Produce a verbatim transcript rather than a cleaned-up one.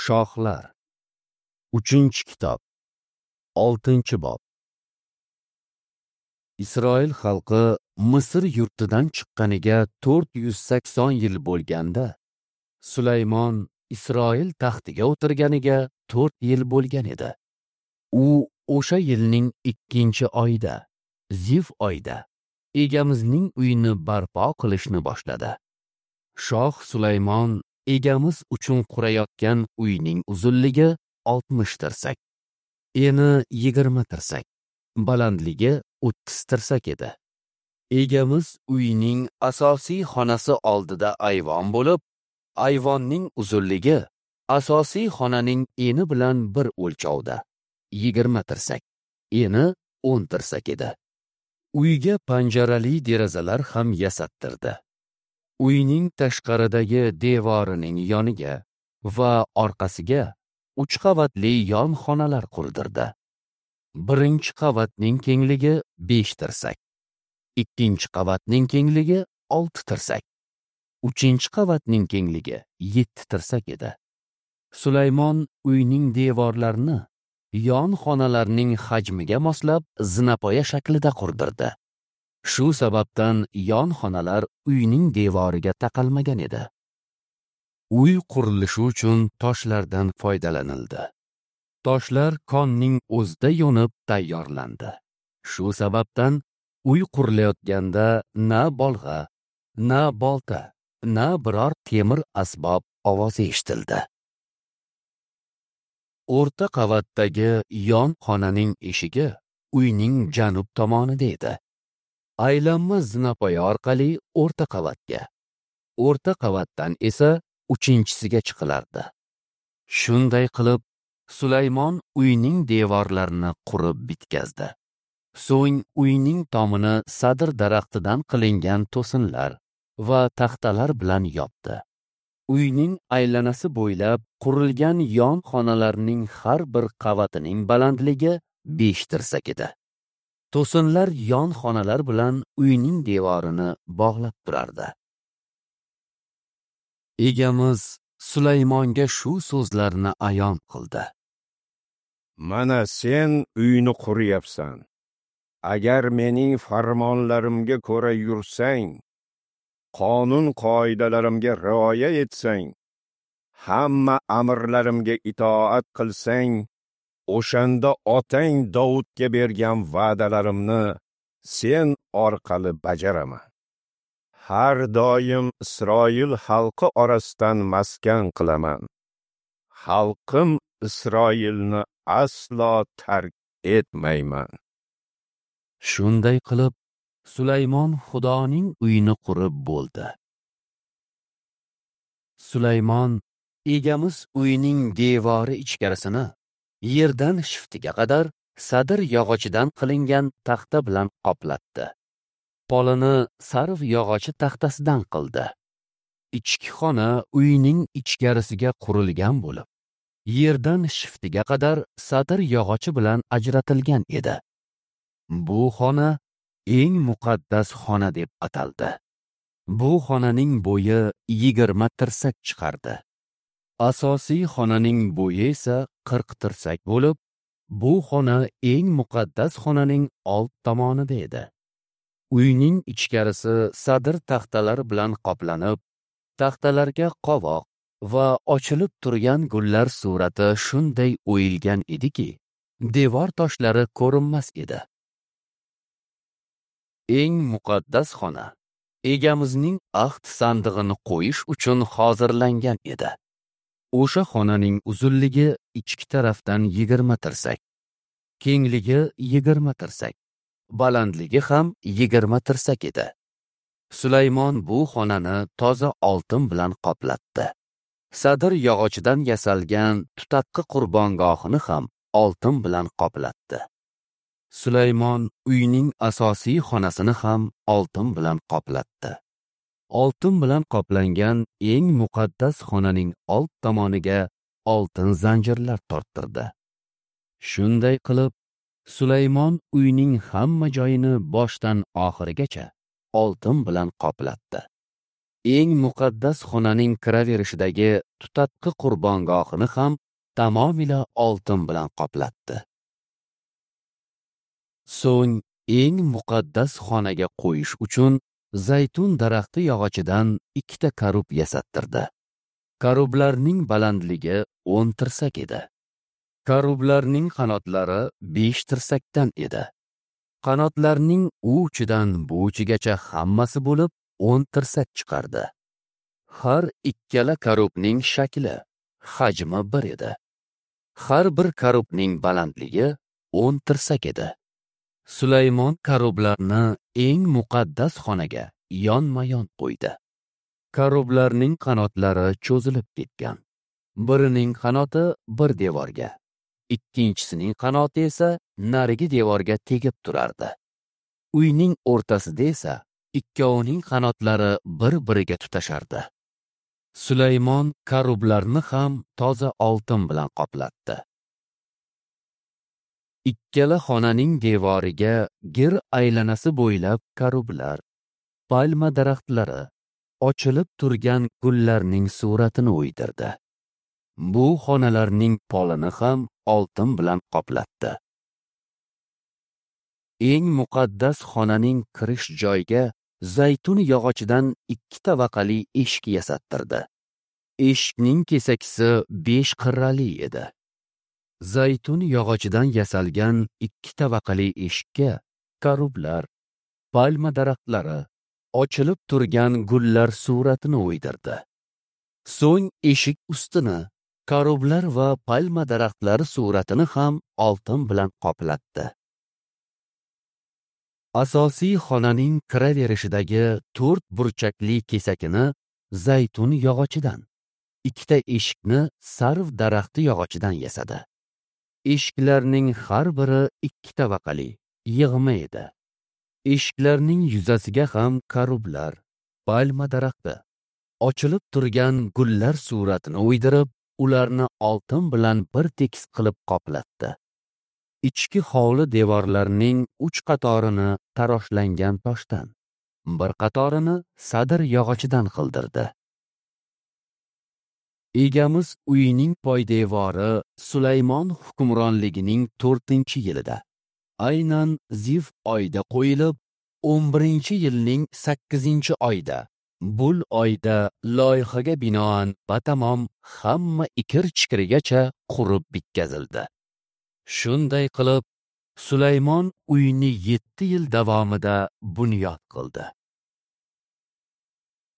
Shohlar. Uchinchi kitob. Oltinchi bob. Isroil xalqi Misr yurtidan chiqqaniga to'rt yuz sakson yil bo'lganda, Sulaymon Isroil taxtiga o'tirganiga to'rt yil bo'lgan edi. U o'sha yilning ikkinchi oyida, Zif oyida Egamizning uyini barpo qilishni boshladi. Shoh Sulaymon Egamiz uchun qurayotgan uyning uzunligi oltmish tirsak, eni yigirma tirsak, balandligi o'ttiz tirsak edi. Egamiz uyining asosiy xonasi oldida ayvon bo'lib, ayvonning uzunligi asosiy xonaning eni bilan bir o'lchovda, yigirma tirsak, eni o'n tirsak edi. Uyga panjarali derazalar ham yasattirdi. Uyning tashqaridagi devorining yoniga va orqasiga uch qavatli yon xonalar qurdirdi. Birinchi qavatning kengligi besh tirsak, ikkinchi qavatning kengligi olti tirsak, uchinchi qavatning kengligi yetti tirsak edi. Sulaymon uyning devorlarini yon xonalarning hajmiga moslab zinapoya shaklida qurdirdi. Shu sababdan yon xonalar uyning devoriga taqalmagan edi. Uy qurilishi uchun toshlardan foydalanildi. Toshlar konning o'zida yo'nib tayyorlandi. Shu sababdan uy qurilayotganda na bolg'a, na bolta, na biror temir asbob ovozi eshitildi. O'rta qavatdagi yon xonaning eshigi uyning janub tomonida edi. Aylanma zinapoya orqali o'rta qavatga, o'rta qavatdan esa uchinchisiga chiqilardi. Shunday qilib Sulaymon uyning devorlarini qurib bitkazdi. So'ng uyning tomini sadr daraxtidan qilingan to'sinlar va taxtalar bilan yopdi. Uyning aylanasi bo'ylab qurilgan yon xonalarning har bir qavatining balandligi besh tirsak edi. To'sinlar yon xonalar bilan uyning devorini bog'lab turardi. Egamiz Sulaymonga shu so'zlarni ayon qildi. Mana sen uyni quryapsan. Agar mening farmonlarimga ko'ra yursang, qonun qoidalarimga rioya etsang, hamma amrlarimga itoat qilsang, o'shanda otang Davudga bergan va'dalarimni sen orqali bajaraman. Har doim Isroil xalqi orasidan maskan qilaman. Xalqim Isroilni aslo tark etmayman. Shunday qilib Sulaymon Xudoning uyini qurib bo'ldi. Sulaymon Egamiz uyining devori ichkarisini yerdan shiftiga qadar sadr yog'ochidan qilingan taxta bilan qoplatdi. Polini sarv yog'ochi taxtasidan qildi. Ichki xona uyning ichkarisiga qurilgan bo'lib, yerdan shiftiga qadar sadr yog'ochi bilan ajratilgan edi. Bu xona eng muqaddas xona deb ataldi. Bu xonaning bo'yi yigirma tirsak chiqardi. Asosiy xonaning bo'yi esa qirq tirsak bo'lib, bu xona eng muqaddas xonaning old tomonida edi. Uyning ichkarisi sadr taxtalar bilan qoplanib, taxtalarga qovoq va ochilib turgan gullar surati shunday o'yilgan ediki, devor toshlari ko'rinmas edi. Eng muqaddas xona Egamizning ahd sandig'ini qo'yish uchun hozirlangan edi. O'sha xonaning uzunligi ichki tarafdan yigirma tirsak, kengligi yigirma tirsak, balandligi ham yigirma tirsak edi. Sulaymon bu xonani toza oltin bilan qoplatdi. Sadr yog'ochidan yasalgan tutatqi qurbongohini ham oltin bilan qoplatdi. Sulaymon uyning asosiy xonasini ham oltin bilan qoplatdi. Oltin bilan qoplangan eng muqaddas xonaning old tomoniga oltin zanjirlar torttirdi. Shunday qilib Sulaymon uyning hamma joyini boshdan oxirigacha oltin bilan qoplatdi. Eng muqaddas xonaning kiraverishidagi tutatqi qurbongohini ham tamomila oltin bilan qoplatdi. So'ng eng muqaddas xonaga qo'yish uchun zaytun daraxti yog'ochidan ikkita karub yasattirdi. Karublarning balandligi o'n tirsak edi. Karublarning qanotlari besh tirsakdan edi. Qanotlarning u uchidan bu uchigacha hammasi bo'lib o'n tirsak chiqardi. Har ikkala karubning shakli, hajmi bir edi. Har bir karubning balandligi o'n tirsak edi. Sulaymon karublarni eng muqaddas xonaga yonma-yon qo'ydi. Karublarning qanotlari cho'zilib ketgan. Birining qanoti bir devorga, ikkinchisining qanoti esa narigi devorga tegib turardi. Uyning o'rtasida esa ikkovining qanotlari bir-biriga tutashardi. Sulaymon karublarni ham toza oltin bilan qoplatdi. Ikkala xonaning devoriga gir aylanasi bo'ylab karublar, palma daraxtlari, ochilib turgan gullarning suratini o'ydirdi. Bu xonalarning polini ham oltin bilan qoplatdi. Eng muqaddas xonaning kirish joyiga zaytun yog'ochidan ikki tabaqali eshik yasattirdi. Eshikning kesakisi besh qirrali edi. Zaytun yog'ochidan yasalgan ikki tabaqali eshikka karublar, palma daraxtlari, ochilib turgan gullar suratini o'ydirdi. So'ng eshik ustini karublar va palma daraxtlari suratini ham oltin bilan qoplatdi. Asosiy xonaning kiraverishidagi to'rt burchakli kesakini zaytun yog'ochidan, ikkita eshikni sarv daraxti yog'ochidan yasadi. Eshiklarning har biri ikki tabaqali, yig'ma edi. Eshiklarning yuzasiga ham karublar, palma daraxti, ochilib turgan gullar suratini o'ydirib, ularni oltin bilan bir tekis qilib qoplatdi. Ichki hovli devorlarining uch qatorini taroshlangan toshdan, bir qatorini sadir yog'ochidan qildirdi. Egamiz uyining poydevori Sulaymon hukmronligining to'rtinchi yilida, aynan Zif oyida qo'yilib, o'n birinchi yilning sakkizinchi oyida, Bul oyda loyihaga binoan batamom hamma ikir-chikirigacha qurib bitkazildi. Shunday qilib, Sulaymon uyni yetti yil davomida bunyod qildi.